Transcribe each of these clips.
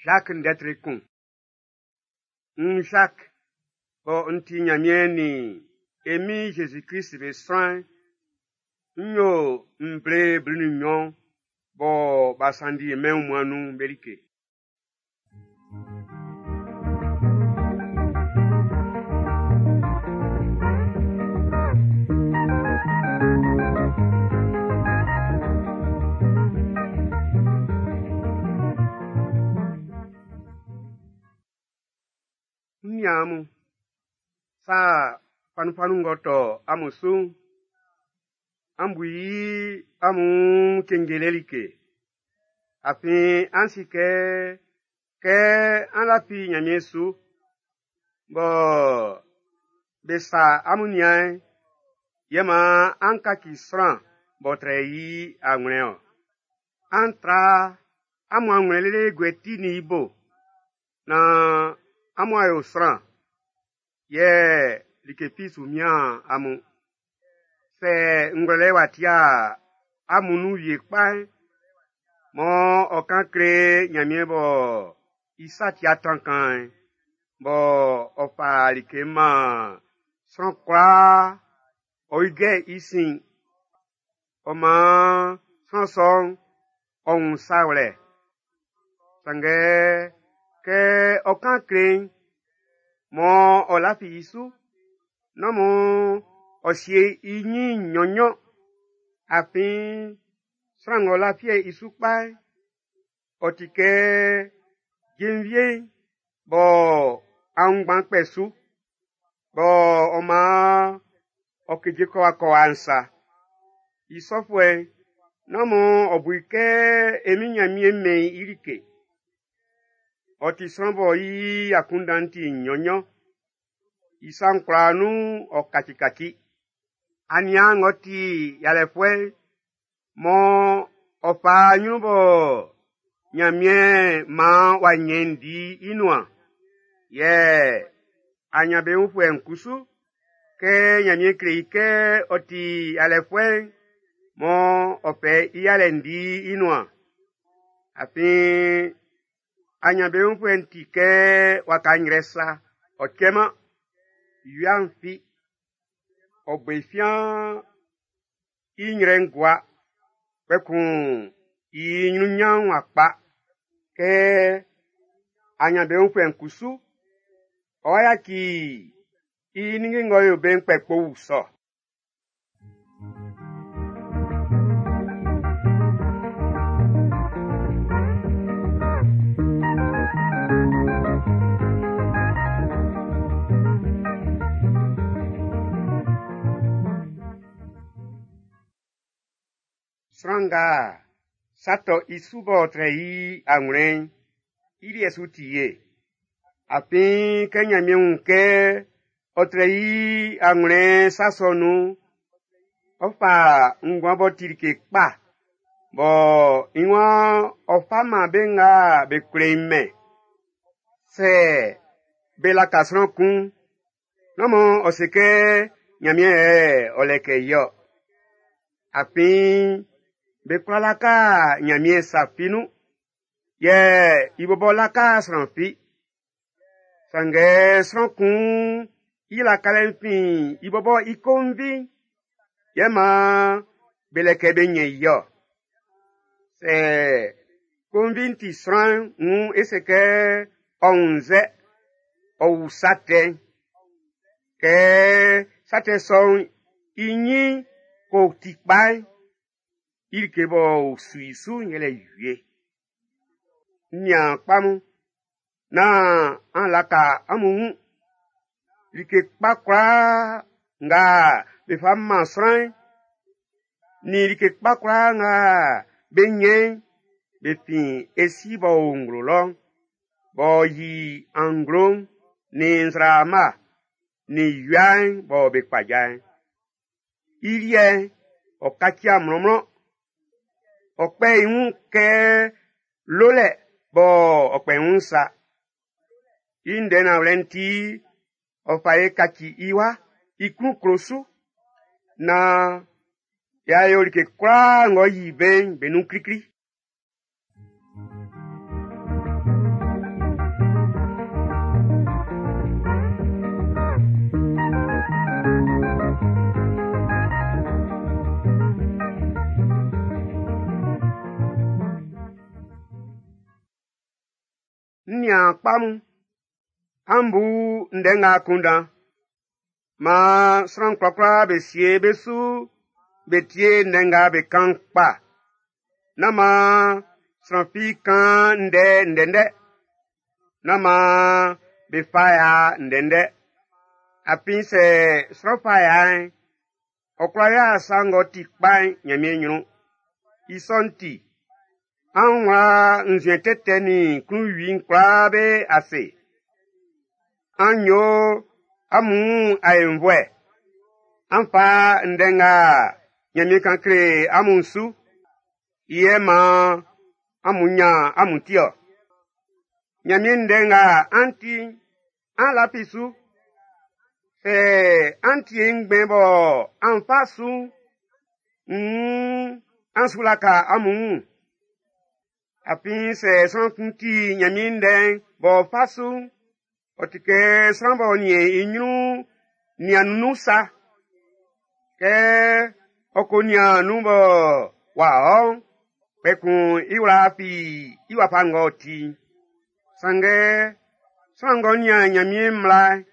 Jacques ndɛ kun. N Jacques, bɔ n ti Nyanmiɛn nin e Min Jésus-Krist be sran'n, n yo nvle 12 bɔ b'a sanndi mɛn wunmuan'n nun'n be like. N niaan mun, sa fanunfanun ng'ɔ tɔ amun su'n, an bu i amun cenjele like. Afin an si kɛ, kɛ an lafi Nyanmiɛn su, bɔ be sa amun nian'n, yɛ man an kaci sran b'ɔ trɛ i anwlɛn-ɔn. An tra amun anwlɛn lele guɛ ti nin i bo, nan amun a yo sran, yɛ like fi su mian amun. Sɛ ngwlɛlɛ w'a tia amun nun wie kpa'n, mɔ ɔ kan kle Nyanmiɛn bɔ i sa tia tankaan'n, bɔ ɔ fa like man sran kwlaa ɔ ijɛ i sin. Ɔ maan sran sɔ'n ɔ wun sa wlɛ. Sanngɛ kɛ ɔ kan kle'n, mɔ ɔ lafi i su, nán mɔ ɔ sie i ɲin nɲɔnnɲɔn. Afin sran ng'ɔ lafi i su kpa'n, ɔ ti kɛ jenvie'n bɔ aunngban kpɛ su, bɔ ɔ maan ɔ keje kɔ wa kɔ wa'n sa. I sɔfuɛ'n, nán mɔ ɔ bu i kɛ e Min Nyanmiɛn mɛn i like. Ɔ ti sran bɔ i akunndan'n ti nnyɔn-nnyɔn. I sa'n kwlaa nun ɔ kacikaci. Aniaan ng'ɔ ti yalɛfuɛ'n, mɔ ɔ fa nyrun bɔ Nyanmiɛn maan w'a nyɛn di i nuan. Yɛ anyanbeunfuɛ'n kusu, kɛ Nyanmiɛn kle i kɛ ɔ ti yalɛfuɛ'n, mɔ ɔ fɛ i yalɛ'n di i nuan. Afin anyanbeunfuɛ'n ti kɛ waka nyrɛ sa, ɔ cɛman, wia'n fi, ɔ bo i fiaan i nyrɛ'n gua, kpɛkun i ɲrunɲan'n w'a kpa. Kɛ anyanbeunfuɛ'n kusu, ɔ yaci i ninnge ng'ɔ yo be'n kpɛ kpo sɔ. Sran nga sa tɔ i su b'ɔ trɛ i anwlɛn'n, i liɛ su ti ye. Afin kɛ Nyanmiɛn wun kɛ ɔ trɛ i anwlɛn sa sɔ nun'n, ɔ fa nguan b'ɔ ti like kpa, bɔ i waan ɔ fa man be nga be kle i mɛn. Sɛ be laka sran kun'n, nán mɔ ɔ se kɛ Nyanmiɛn yɛ ɔ lɛkɛ i-ɔ. Afin be kwla laka Nyanmiɛn sa fi nun, yɛ i bɔbɔ laka sran fi. Sanngɛ sran kun i lakalɛ'n fin i bɔbɔ i konvi'n, yɛ maan be lɛkɛ be nyɛn i-ɔ. Sɛ konvi'n ti sran wun e se kɛ ɔ wunnzɛ, ɔ wu sa tɛ'n. Kɛ sa tɛ sɔ'n i ɲin ko ti kpa'n, i like b'ɔ su i su'n yɛlɛ wie. N niaan kpa mun, nán an laka amun wun. Like kpa kwlaa nga be fa man sran'n, nin like kpa kwlaa nga be nyɛn'n, be fin e Si b'ɔ o nglo lɔ'n, b'ɔ yi anglo'n, nin nzraama, nin wia'n bɔ be kpaja'n. I liɛ'n, ɔ kaci mlɔnmlɔn. Ɔ kpɛ i wun kɛ lolɛ bɔ ɔ kpɛ wun sa. I ndɛ nanwlɛ'n ti, ɔ fa e kaci i wa, i klun klo su, naan y'a yo like kwlaa ng'ɔ yi be'n be nun klikli. N niaan kpa mun, an bu ndɛ nga akunndan. Maan sran kwlakwla be sie be su be tie ndɛ nga be kan'n kpa. Nán maan sran fi kan ndɛ ndɛndɛ. Nán maan be fa ya ndɛndɛ. Afin sɛ sran fa ya'n, ɔ kwla yo sa ng'ɔ ti kpa'n Ɲanmiɛn ɲrun. I sɔ'n ti, an wla nzuɛn tɛtɛ nin klunwi'n kwlaa be ase. An yo amun wun aenvuɛ. An fa ndɛ nga Ɲanmiɛn kan kle amun'n su. I yɛ maan amun ɲan amun ti ɔ. Ɲanmiɛn ndɛ nga an ti'n, an lafi su. Sɛ an tie ngbɛn bɔ an fa su'n, nn an su laka amun wun. Afin sɛ sran kun ti Ɲanmiɛn ndɛ'n b'ɔ fa su'n, ɔ ti kɛ sran b'ɔ niɛn i ɲrun niannun nun sa. Kɛ ɔ ko nian nun bɔ w'a ɔ'n, kpɛkun i wla fi i wafa ng'ɔ ti'n. Sanngɛ sran ng'ɔ nian Ɲanmiɛn mmla'n,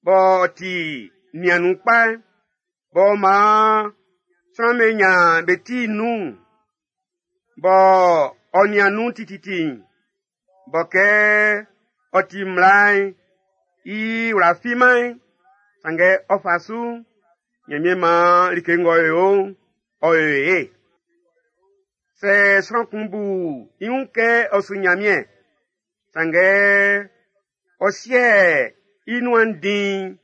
b'ɔ ti niannun kpa'n, b'ɔ maan sran'm be ɲan be ti nun'n, b'ɔ ɔ nian nun tititi'n, bɔ kɛ ɔ ti mmla'n i wla fiman'n, sanngɛ ɔ fa su'n, Ɲanmiɛn maan like ng'ɔ yo'n, ɔ yo ye. Sɛ sran kun bu i wun kɛ ɔ su Ɲanmiɛn, sanngɛ ɔ sie i nuan diin,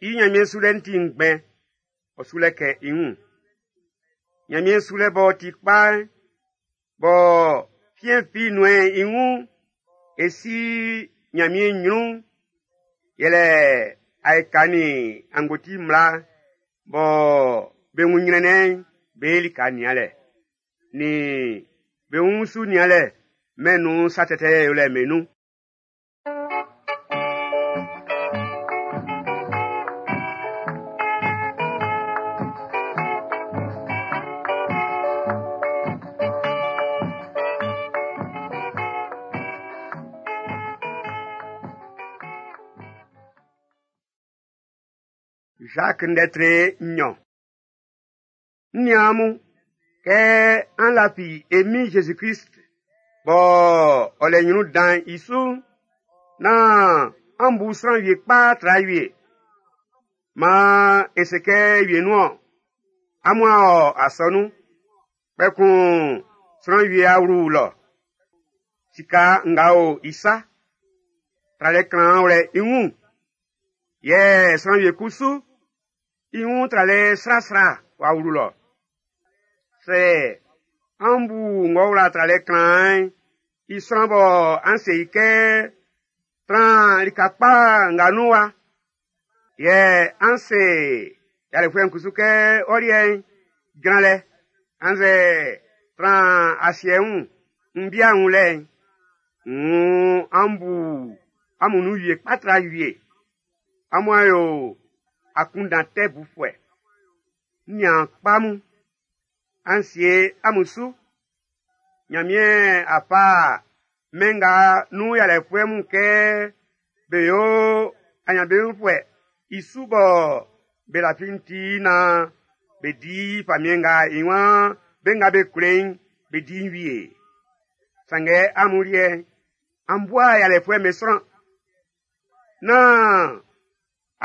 i Ɲanmiɛn sulɛ'n ti ngbɛn, ɔ su lɛkɛ i wun. Ɲanmiɛn sulɛ b'ɔ ti kpa'n, bɔ fiɛn fi nunmɛn i wun, e si Ɲanmiɛn ɲrun'n, yɛlɛ aika nin angboti mmla bɔ be wun ɲrɛnnɛn'n be lika nianlɛ, nin be wun su nianlɛ mɛn'n nun sa tɛtɛ yolɛ'n be nun. Jacques ndɛ tre nɲɔn. N niaan mun, kɛ an lafi e Min Jésus-Christ b'ɔ ɔ lɛ ɲrun dan'n i su'n, nán an bu sran wie kpa tra wie. Maan e se kɛ wienun-ɔn, amun a ɔ asɔnun, kpɛkun sran wie a wlu lɔ. Sika nga o i sa, tralɛ klanman wlɛ i wun. Yɛ sran wie kusu, i wun tralɛ srasra w'a wlu lɔ. Sɛ an bu ng'ɔ wla tralɛ klanman'n i sran bɔ an se i kɛ tran lika kpa nga nun wa, yɛ an se yalɛfuɛ'n kusu kɛ ɔ liɛ'n jran lɛ, annzɛ tran asiɛ wun n bia wun lɛ'n, nn an bu amun nun wie kpa tra wie. Amun a yo akunndan tɛ bufuɛ. N niaan kpa mun, an sie amun su. Ɲanmiɛn a fa mɛn nga nun yalɛfuɛ mun kɛ be yo aɲanbeunfuɛ i su bɔ be lafi'n ti naan be di famiɛn nga i waan be nga be klo i'n be di'n wie. Sanngɛ amun liɛ'n, an bua yalɛfuɛ'm be sran. Nán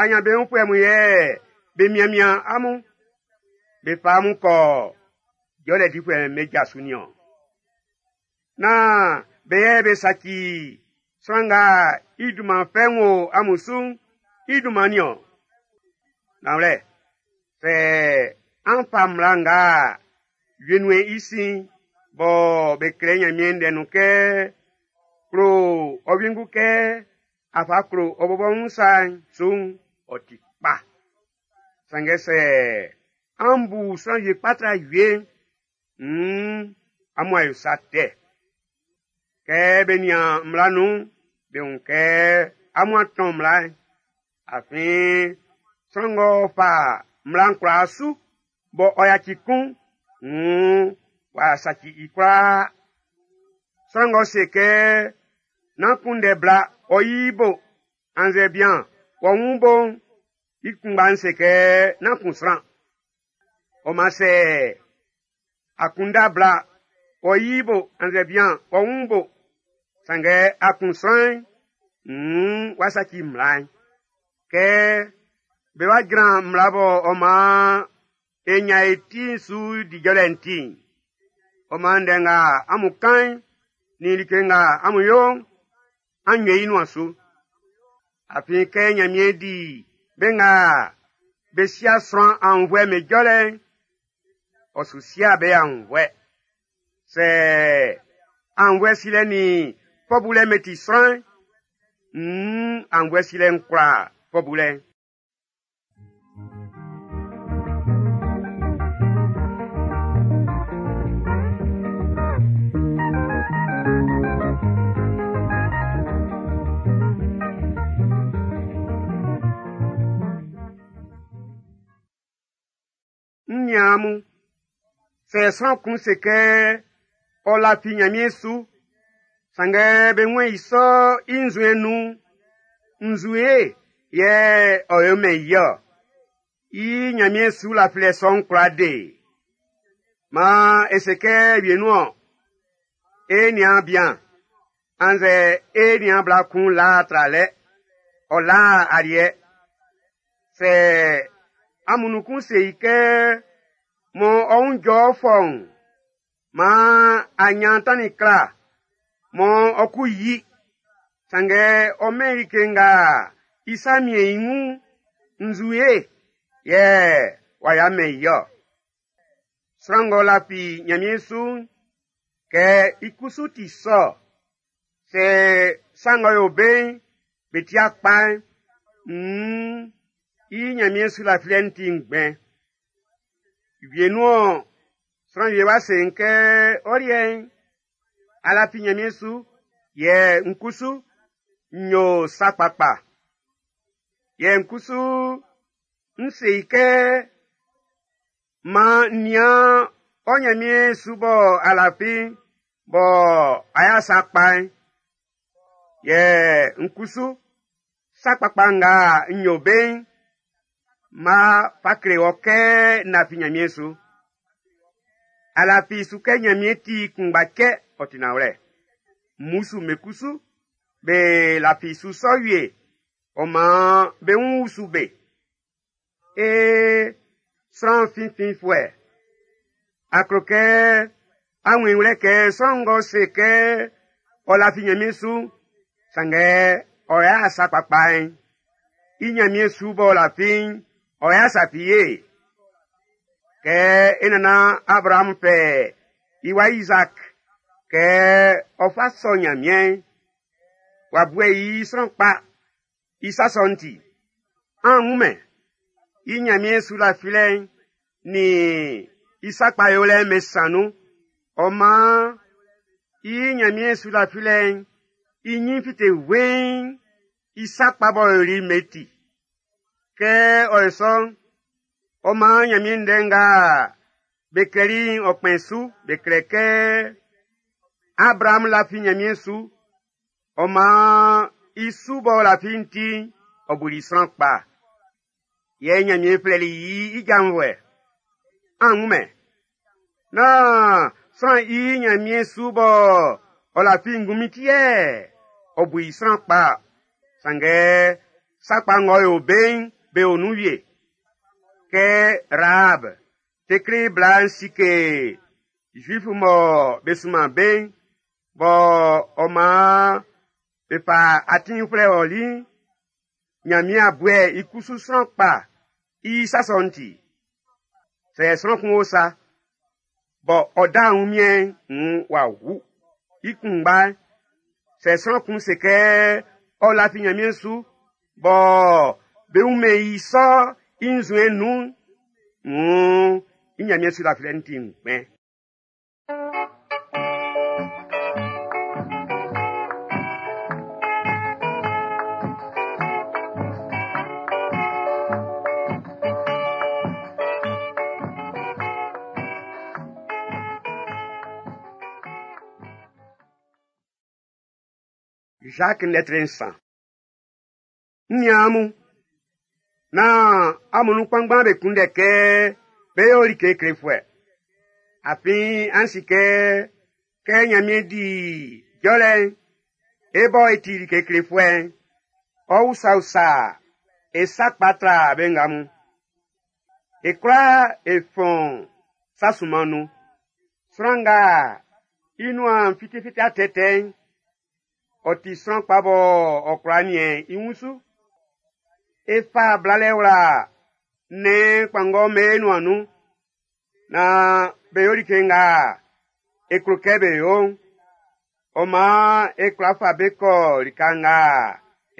aɲanbeunfuɛ mun yɛ be mianmian amun, be fa amun kɔ jɔlɛ difuɛ'm be ja su nin-ɔn. Nán be yɛ be saci sran nga i dunman fɛ'n wo amun su'n i dunman nin-ɔn. Nanwlɛ, sɛ an fa mmla nga wie nunmɛn i sin bɔ be klɛ Ɲanmiɛn ndɛ nun kɛ klo ɔ wiengu kɛ a fa klo ɔ bɔbɔ wun sa'n su'n, ɔ ti kpa. Sanngɛ sɛ an bu sran wie kpa tra wie'n, nn amun a yo sa tɛ. Kɛ be nian mmla nun'n, be wun kɛ amun a tɔn mmla'n. Afin sran ng'ɔ fa mmla'n kwlaa su bɔ ɔ yaci kun'n, nn w'a saci i kwlaa. Sran ng'ɔ se kɛ Nán kunndɛ bla ɔ yi bo annzɛ bian wɔ wun bo'n, i kunngba'n se kɛ nán kun sran. Ɔ man sɛ a kunndɛ bla ɔ yi bo annzɛ bian wɔ wun bo, sanngɛ a kun sran'n, nn w'a saci mmla'n. Kɛ be wa jran mmla bɔ ɔ maan e ɲan e ti'n su di jɔlɛ'n ti'n, ɔ maan ndɛ nga amun kan'n nin like nga amun yo'n, an nyɛ i nuan su. Afin kɛ Ɲanmiɛn di be nga be sia sran aunnvuɛ me jɔlɛ'n, ɔ su sia be aunnvuɛ. Sɛ aunnvuɛ silɛ nin fɔ bulɛ'n be ti sran'n, nn aunnvuɛ silɛ'n kwla fɔ bulɛ'n. N niaan mun, sɛ sran kun se kɛ ɔ lafi Ɲanmiɛn su, sanngɛ be wun i sɔ i nzuɛn nun'n, nzue yɛ ɔ yomɛn i ɔ. I Ɲanmiɛn su lafilɛ sɔ'n kwla de. Maan e se kɛ wienun-ɔn, e niaan bian annzɛ e niaan bla kun la tralɛ, ɔ la aliɛ. Sɛ amun nun kun se i kɛ mɔ ɔ wun jɔ fɔun, maan a ɲan tannin kla mɔ ɔ ku yi, sanngɛ ɔ mɛn i like nga i sa miɛn i wun'n, nzue yɛ w'a ya mɛn i ɔ. Sran ng'ɔ lafi Ɲanmiɛn su'n, kɛ i kusu ti sɔ, sɛ sa ng'ɔ yo be'n be ti kpa'n, nn i Ɲanmiɛn su lafilɛ'n ti ngbɛn. Wienun-ɔn, sran wie wá se n kɛ ɔ liɛ'n, a lafi Ɲanmiɛn su, yɛ n kusu n yo sa kpakpa. Yɛ n kusu n se i kɛ maan n nian ɔ Ɲanmiɛn su bɔ a lafi'n bɔ a y'a sa kpa'n. Yɛ n kusu sa kpakpa nga n yo be'n, ma fa kle wɔ kɛ n lafi Ɲanmiɛn su. A lafi su kɛ Ɲanmiɛn ti kunngba cɛ ɔ ti nanwlɛ. Mmusu me kusu be lafi su sɔ wie, ɔ maan be wun usu be. Ee, sran finfinfuɛ, a klo kɛ a wun i wlɛ kɛ sran ng'ɔ se kɛ ɔ lafi Ɲanmiɛn su'n, sanngɛ ɔ y'a sa kpakpa'n, i Ɲanmiɛn su b'ɔ lafi'n, ɔ y'a sa fi ye. Kɛ e nannan Abraham fɛ i wa Isaac kɛ ɔ fa sɔ Ɲanmiɛn'n, w'a buɛ i sran kpa i sa sɔ'n ti. An wunmɛn i Ɲanmiɛn su lafilɛ'n nin i sa kpa yolɛ'n be san nun. Ɔ maan i Ɲanmiɛn su lafilɛ'n i ɲin fite weiin i sa kpa b'ɔ yoli'n be ti. Kɛ ɔ yo sɔ'n, ɔ maan Ɲanmiɛn ndɛ nga be klɛli'n ɔ kpɛn su, be klɛ kɛ Abraham lafi Ɲanmiɛn su, ɔ maan i su b'ɔ lafi'n ti'n, ɔ buli sran kpa. Yɛ Ɲanmiɛn flɛli i i janvuɛ. An wunmɛn. Nán sran i Ɲanmiɛn su b'ɔ ɔ lafi ngunmin ti yɛ ɔ bu i sran kpa, sanngɛ sa kpa ng'ɔ yo be'n be o nun wie. Kɛ Rahab, tekle bla'n sike Zuifu mɔ be sunman be'n, bɔ ɔ maan be fa atin uflɛ ɔli'n, Ɲanmiɛn a buɛ i kusu sran kpa i sa sɔ'n ti. Sɛ sran kun o sa, bɔ ɔ da wunmiɛn'n nn w'a wu. I kunngba'n, sɛ sran kun se kɛ ɔ lafi Ɲanmiɛn su, bɔ be wunmɛn i sɔ i nzuɛn nun'n, nn i Ɲanmiɛn su lafilɛ'n ti ngbɛn. Jacques lɛtri 3. N niaan mun, nán amun nun kpanngban be kunndɛ kɛ bé yó like klefuɛ. Afin an si kɛ, kɛ Ɲanmiɛn di jɔlɛ'n, e bɔ e ti like klefuɛ'n, ɔ usausa e sa kpa tra be nga mun. E kwlaa e fɔn sa sunman nun. Sran nga i nuan fitafita tɛtɛ'n, ɔ ti sran kpa bɔ ɔ kwla niɛn i wun su. E fa blalɛ wla nnɛn kpanngɔ'm be nuan nun, naan be yo like nga e klo kɛ be yo'n. Ɔ maan e kwla fa be kɔ lika nga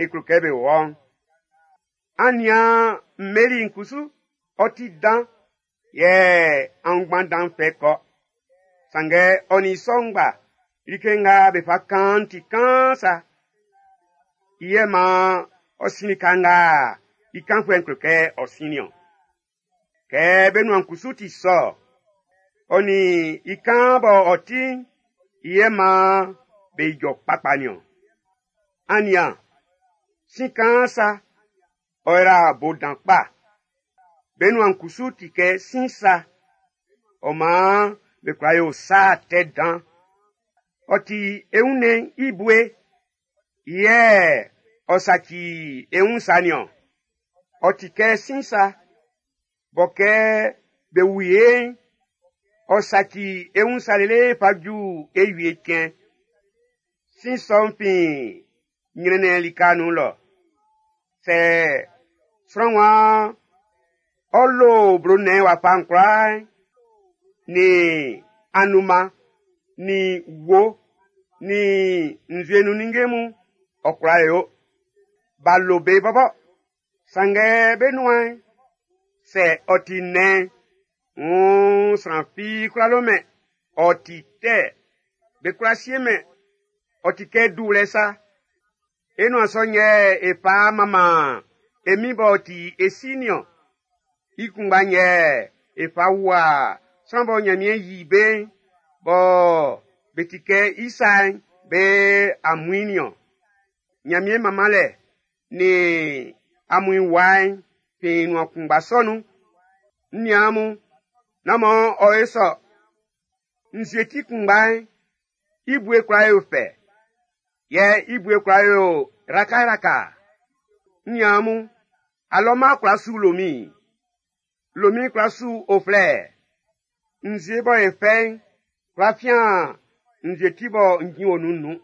e klo kɛ be wɔ'n. An nian mmeli'n kusu, ɔ ti dan, yɛ aunngban dan fɛ kɔ. Sanngɛ ɔ nin i sɔ ngba, like nga be fa kan'n ti kaan sa. I yɛ maan ɔ sin lika nga i kanfuɛ'n klo kɛ ɔ sin niɔn. Kɛ be nuan kusu ti sɔ, ɔ nin i kaan bɔ ɔ ti'n, i yɛ maan be ijɔ kpakpa niɔn. An nian, sin kaan sa, ɔ yra bo dan kpa. Be nuan kusu ti kɛ sin sa. Ɔ maan be kwla yo sa tɛ dan. Ɔ ti e wunnɛn'n i bue, yɛ ɔ saci e wun sa niɔn. Ɔ ti kɛ sin sa, bɔ kɛ be wu e'n, ɔ saci e wun sa lele fa ju e wie cɛn. Sin sɔ'n fin ɲrɛnnɛn lika nun lɔ. Sɛ sran waan ɔ lo blo nnɛn wafa'n kwlaa, nin anunman, nin wo, nin nzue nun ninnge mun, ɔ kwla yo. B'a lo be bɔbɔ. Sanngɛ be nuan'n, sɛ ɔ ti nnɛn'n, wuun sran fi kwlá lomɛn. Ɔ ti tɛ, be kwlá siemɛn. Ɔ ti kɛ duwlɛ sa. E nuan sɔ'n yɛ e fa manman e Min b'ɔ ti e si niɔn. I kunngba'n yɛ e fa wua sran bɔ Ɲanmiɛn yi be'n, bɔ be ti kɛ i sa'n, be amuin niɔn. Ɲanmiɛn manmanlɛ nin amuin wa'n fin nuan kunngba sɔ nun. N niaan mun, nán mɔ ɔ e sɔ. Nzue ti kunngba'n, i bue kwla yo fɛ, yɛ i bue kwla yo rakaraka. N niaan mun, alɔma kwla su lomin, lomin kwla su uflɛ. Nzue bɔ e fɛ'n kwla fian nzue ti bɔ njin o nun'n nun.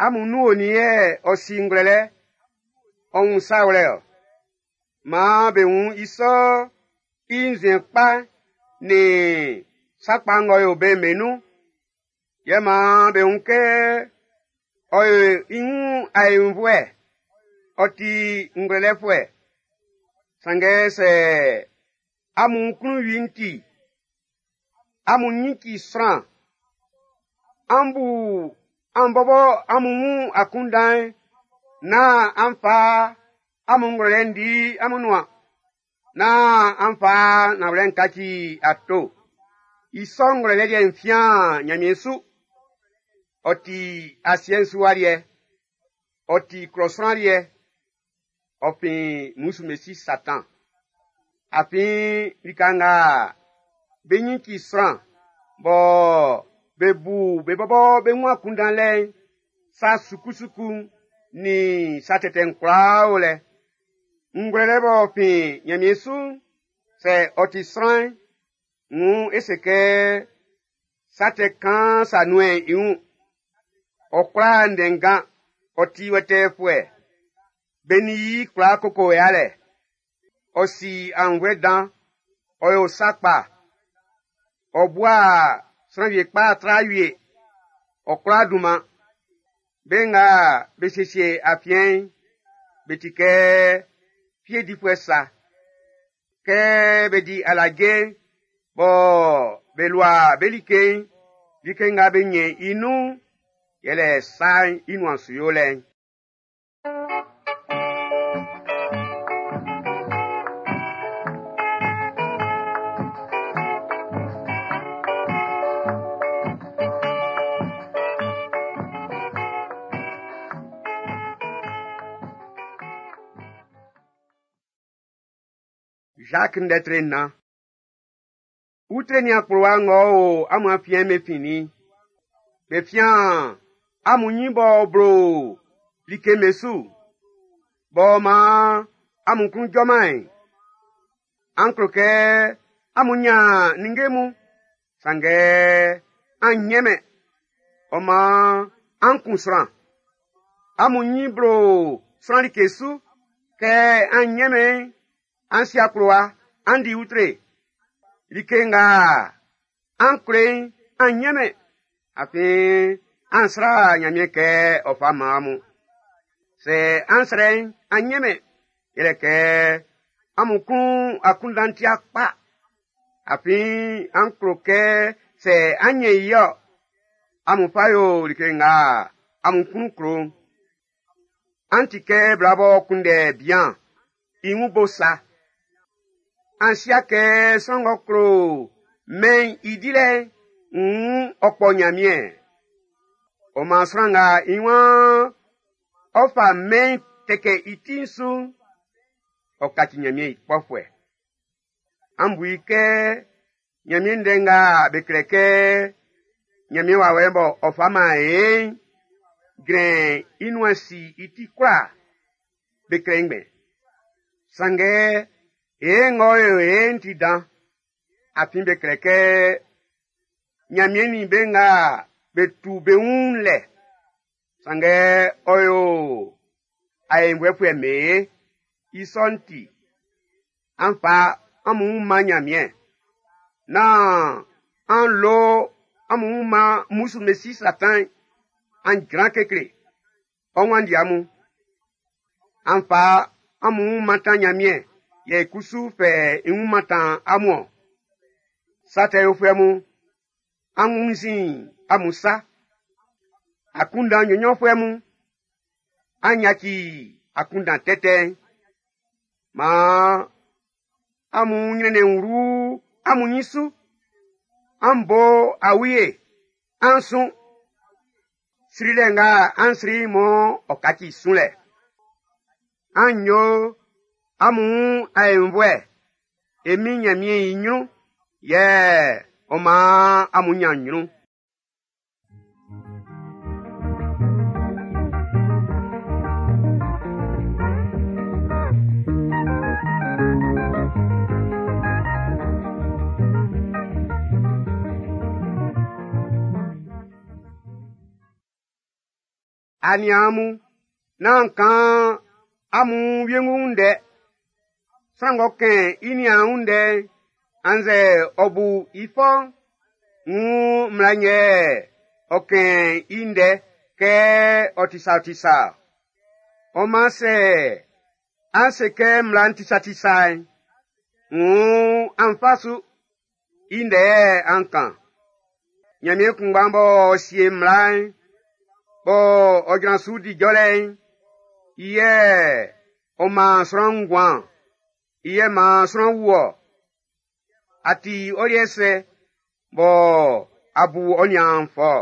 Amun nun onin yɛ ɔ si ngwlɛlɛ, ɔ wun sa wlɛ ɔ? Maan be wun i sɔ i nzuɛn kpa nin sa kpa ng'ɔ yo be'n be nun. Yɛ maan be wun kɛ ɔ yo i wun aenvuɛ, ɔ ti ngwlɛlɛfuɛ. Sanngɛ sɛ amun klun wie'n ti, amun ɲin ci sran, an bu an bɔbɔ amun wun akunndan'n, nán an fa amun ngwlɛlɛ'n di amun nuan, nán an fa nanwlɛ'n kaci ato. I sɔ ngwlɛlɛ liɛ'n fian Ɲanmiɛn su. Ɔ ti asiɛ'n su wa liɛ, ɔ ti klɔ sran liɛ, ɔ fin mmusu Satan. Afin lika nga be ɲin ci sran bɔ be bu be bɔbɔ be wun akunndan lɛ'n, sa sukusuku'n nin sa tɛtɛ'n kwlaa o lɛ. Ngwlɛlɛ b'ɔ fin Ɲanmiɛn su'n, sɛ ɔ ti sran'n, wuun e se kɛ sa tɛ kaan sa nuɛn i wun. Ɔ kwla ndɛnngan, ɔ ti wɛtɛɛfuɛ. Be nin i kwla koko yalɛ. Ɔ si aunnvuɛ dan, ɔ yo sa kpa. Ɔ bua sran wie kpa tra wie. Ɔ kwla dunman. Be nga be siesie afiɛn'n, be ti kɛ fie difuɛ sa. Kɛ be di alaje'n, bɔ be lua be like'n, Like nga be ɲɛn i nun'n, yɛlɛ sa'n i nuan su yolɛ'n. Jacques ndɛtre na. Utre ni akplowa ng'ɔ o amun afiɛn be fin nin? Be fian amun nyin b'ɔ blo like me su, b'ɔ man amun klun jɔman'n. An klo kɛ amun nyan ninnge mun, sanngɛ an nyɛnmɛn. Ɔ man an kun sran. Amun nyin blo sran like su, kɛ an nyɛnmɛn, an si akplowa, an di utre. Like nga an klo i'n, an nyɛnmɛn, afin an srɛ Nyanmiɛn kɛ ɔ fa man amun. Sɛ an srɛ'n, an nyɛnmɛn, yɛlɛ kɛ amun klun akunndan'n ti'a kpa. Afin an klo kɛ sɛ an nyɛn i-ɔ, amun fa yo like nga amun klun klo'n. An ti kɛ bla b'ɔ kunndɛ bian i wun bo sa. An si'a kɛ sran ng'ɔ klo mɛn'n i dilɛ'n, wuun ɔ kpɔ Nyanmiɛn. Ɔ man sran nga i waan ɔ fa mɛn'n tɛkɛ i ti'n su'n, ɔ kaci Nyanmiɛn i kpɔfuɛ. An bu i kɛ Nyanmiɛn ndɛ nga be klɛ kɛ Nyanmiɛn wawɛ'n bɔ ɔ fa man e'n, jrɛn i nuan si i ti kwlaa, be klɛ i ngbɛn. Sanngɛ e ng'ɔ yo e'n ti dan, afin be klɛ kɛ Nyanmiɛn nin be nga be tu be wun lɛ, sanngɛ ɔ yo aenvuɛfuɛ mɛn i sɔ'n ti, an fa amun wun man Nyanmiɛn. Nán an lo amun wun man mmusu mesi Satan'n, an jran kekle, ɔ wanndi amun. An fa amun wun mantan Nyanmiɛn, yɛ i kusu fɛ i wun mantan amun-ɔn. Sa tɛ yofuɛ mun, an wunnzin amun sa. Akunndan nnyɔnnyɔnfuɛ mun, an yaci akunndan tɛtɛ'n. Maan amun nyrɛnnɛn wlu amun nyin su. An bo awie, an sun. Srilɛ nga an sri'n mɔ ɔ kaci sunlɛ. An yo amun wun aenvuɛ e Min Nyanmiɛn i nyrun, yɛ ɔ man amun nyan nyrun. Aniaan mun, nán an kan amun wiengu ndɛ. Sran ng'ɔ kɛn i niaan wun ndɛ'n, annzɛ ɔ bu i fɔ'n, wuun mmla'n yɛ ɔ kɛn i ndɛ kɛ ɔ ti sa ti sa. Ɔ man sɛ an se kɛ mmla'n ti sa ti sa'n, wuun an fa su, i ndɛ yɛ an kan. Nyanmiɛn kunngba'n b'ɔ sie mmla'n, b'ɔ ɔ jran su di jɔlɛ'n, i yɛ ɔ man sran nguan, i yɛ man sran wu-ɔ. A ti ɔ liɛ sɛ bɔ a bu ɔ niaan'n fɔ-ɔ?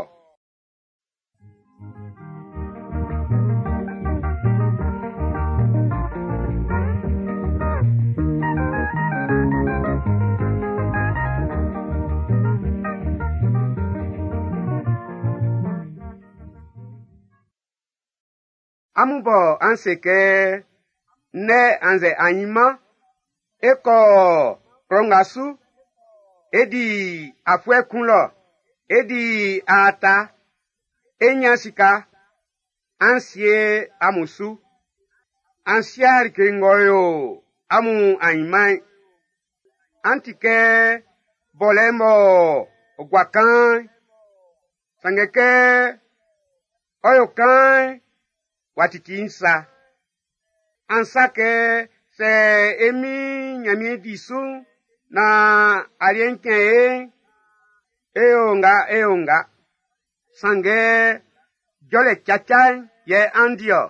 Amun bɔ an se kɛ ndɛ annzɛ ainman e kɔ klɔ nga su, e di afuɛ kun lɔ, e di aata, e nyan sika, an sie amun su. An si'a like ng'ɔ yo amun ainman'n. An ti kɛ bɔlɛ'n b'ɔ gua kaan'n, sanngɛ kɛ ɔ yo kaan'n, w'a titi'n sa. An sa kɛ sɛ e Min Nyanmiɛn di su'n, naan aliɛ'n cɛn e'n, e yo nga e yo nga. Sanngɛ jɔlɛ caca'n yɛ an di-ɔ.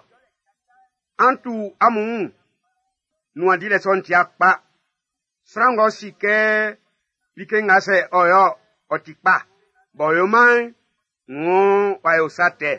An tu amun wun. Nuan dilɛ sɔ'n ti'a kpa. Sran ng'ɔ si kɛ like nga sɛ ɔ yo ɔ ti kpa, b'ɔ yo-man'n, wuun w'a yo sa tɛ.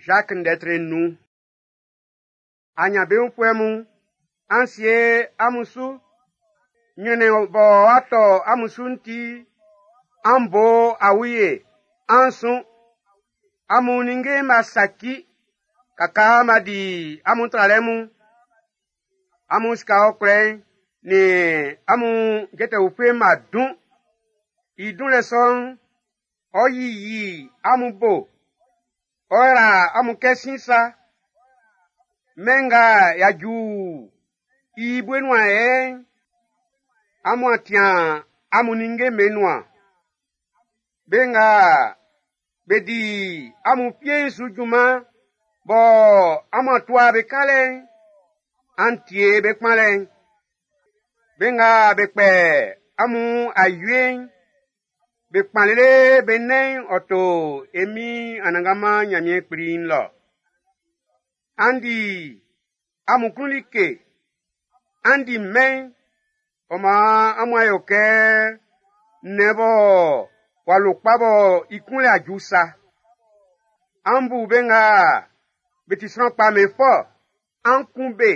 Jacques ndɛtre nun. Anyanbeunfuɛ mun, an sie amun su. Nyrɛnnɛn bɔ ɔ'a tɔ amun su'n ti, an bo awie, an sun. Amun ninnge'n b'a saci, kakaa b'a di amun tralɛ mun. Amun sika ɔkwlɛ'n nin amun jɛtɛ ufue'n b'a dun. I dunlɛ sɔ'n, ɔ yiyi amun bo, ɔ yra amun kɛ sin sa. Mɛn nga y'a ju i bue nuan yɛ'n, amun a tian amun ninnge'm be nuan. Be nga be di amun fie'n su junman bɔ amun a tua be kalɛ'n, an tie be kpanlɛ'n. Be nga be kpɛ amun awie'n, be kpan lele be nɛn'n ɔ to e Min Anannganman Nyanmiɛn Kpli'n lɔ. An di amun klun like, an di mɛn, ɔ maan amun a yo kɛ nnɛn bɔ w'a lo kpa bɔ i kunlɛ a ju sa. An bu be nga be ti sran kpa be fɔ, an kun be,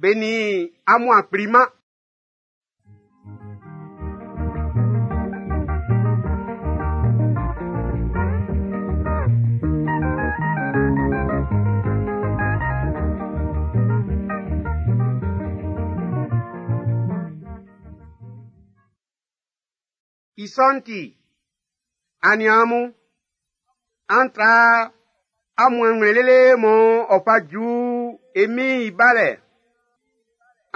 be nin amun a kpliman. I sɔ'n ti, aniaan mun, an tra amun anwlɛn lele mɔ ɔ fa ju e Min'n i balɛ.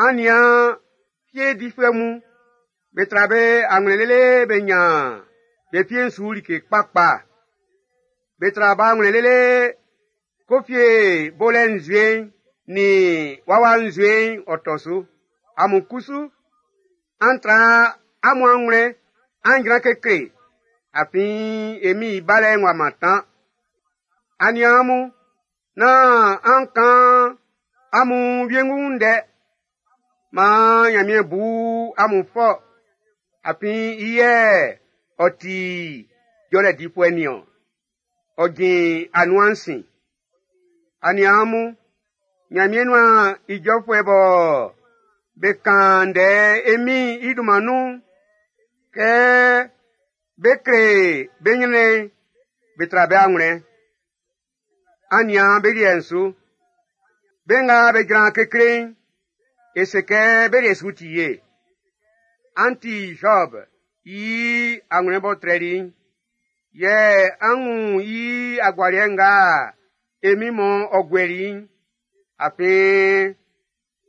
An nian fie difuɛ mun, be tra be anwlɛn lele be nyan be fie'n su like kpakpa. Be tra be anwlɛn lele ko fie bolɛ nzue'n nin wawa nzue'n ɔ tɔ su. Amun kusu, an tra amun anwlɛn, an jran kekle, afin e Min'n i balɛ'n w'a mantan. Aniaan mun, nán an kan amun wiengu ndɛ. Maan Nyanmiɛn bu amun fɔ, afin i yɛ ɔ ti jɔlɛ difuɛ nin-ɔn. Ɔ jin anuan'n sin. Aniaan mun, Nyanmiɛn nuan ijɔfuɛ bɔ be kan ndɛ e Min'n i dunman nun'n, kɛ be kle be nyrɛnnɛn'n, be tra be anwlɛn. An nian be liɛ'n su. Be nga be jran kekle'n, e se kɛ be liɛ su ti ye. An ti Job i anwlɛn b'ɔ trɛli'n, yɛ an wun i agualiɛ nga e Min mɔ ɔ guɛli i'n. Afin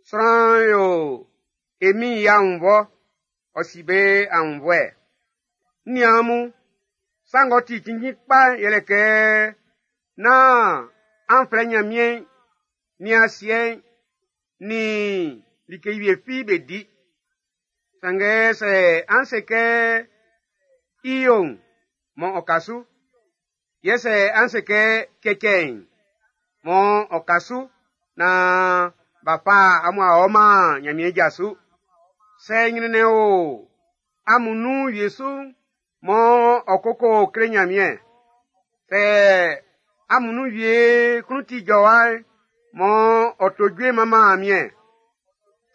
sran yo e Min'n i aunnvɔ, ɔ si be aunnvɔɛ. N niaan mun, sa ng'ɔ ti cinnjin kpa'n yɛlɛ kɛ nán an flɛ Nyanmiɛn nin asiɛ'n nin like wie fi be di. Sanngɛ sɛ an se kɛ i yo'n, mɔ ɔ ka su. Yɛ sɛ an se kɛ cɛcɛ'n, mɔ ɔ ka su naan b'a fa amun a ɔman Nyanmiɛn ja su. Sɛ nyrɛnnɛn o amun nun wie su'n, mɔ ɔ koko kle Nyanmiɛn. Sɛ amun nun wie klun ti jɔwa'n, mɔ ɔ to jue manman Nyanmiɛn.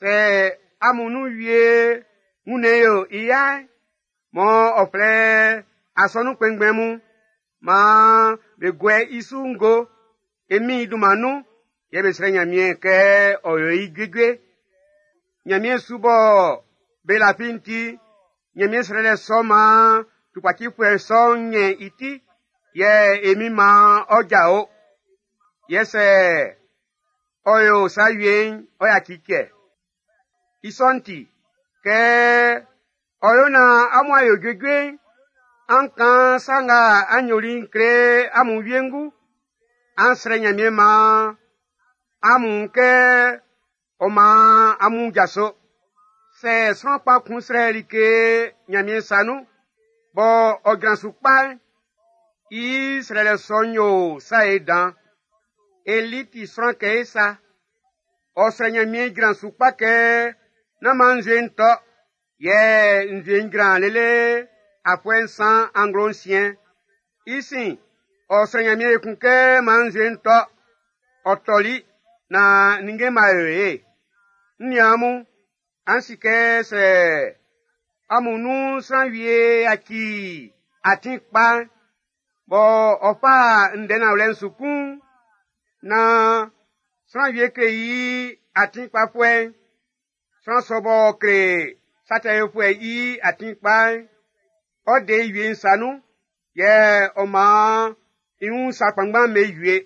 Sɛ amun nun wie wunnɛn yo i ya'n, mɔ ɔ flɛ asɔnun kpɛnngbɛn mun, maan be guɛ i su ngo e Min'n i dunman nun, yɛ be srɛ Nyanmiɛn kɛ ɔ yo i juejue. Nyanmiɛn su bɔ be lafi'n ti, Nyanmiɛn srɛlɛ sɔ maan tukpacifuɛ sɔ'n nyɛn i ti, yɛ e Min'n maan ɔ jao. Yɛ sɛ ɔ yo sa wie'n, ɔ yaci cɛ. I sɔ'n ti, kɛ ɔ amun a yo juejue'n, an kan sa nga an yoli'n kle amun wiengu. An srɛ Ɲanmiɛn maan amun kɛ ɔ maan amun jaso. Sɛ sran kpa kun srɛ like Ɲanmiɛn sa nun, bɔ ɔ jran su kpa'n, i srɛlɛ sɔ'n yo sa ye dan. Eli ti sran kɛ e sa. Ɔ srɛ Ɲanmiɛn jran su kpa kɛ nán maan nzue'n tɔ, yɛ nzue'n jran lele afuɛ nsan anglo nsiɛn. I sin, ɔ srɛ Ɲanmiɛn ekun kɛ maan nzue'n tɔ. Ɔ tɔli naan ninnge ma yo ye. N niaan mun, an si kɛ sɛ amun nun sran wie yaci atin kpa'n, bɔ ɔ fa ndɛ nanwlɛ'n su kun'n, naan sran wie kle i atin kpafuɛ'n, sran sɔ b'ɔ kle sa tɛ yofuɛ'n i atin kpa'n, ɔ de i wie'n sa nun, yɛ ɔ maan i wun sa kpanngban be wie.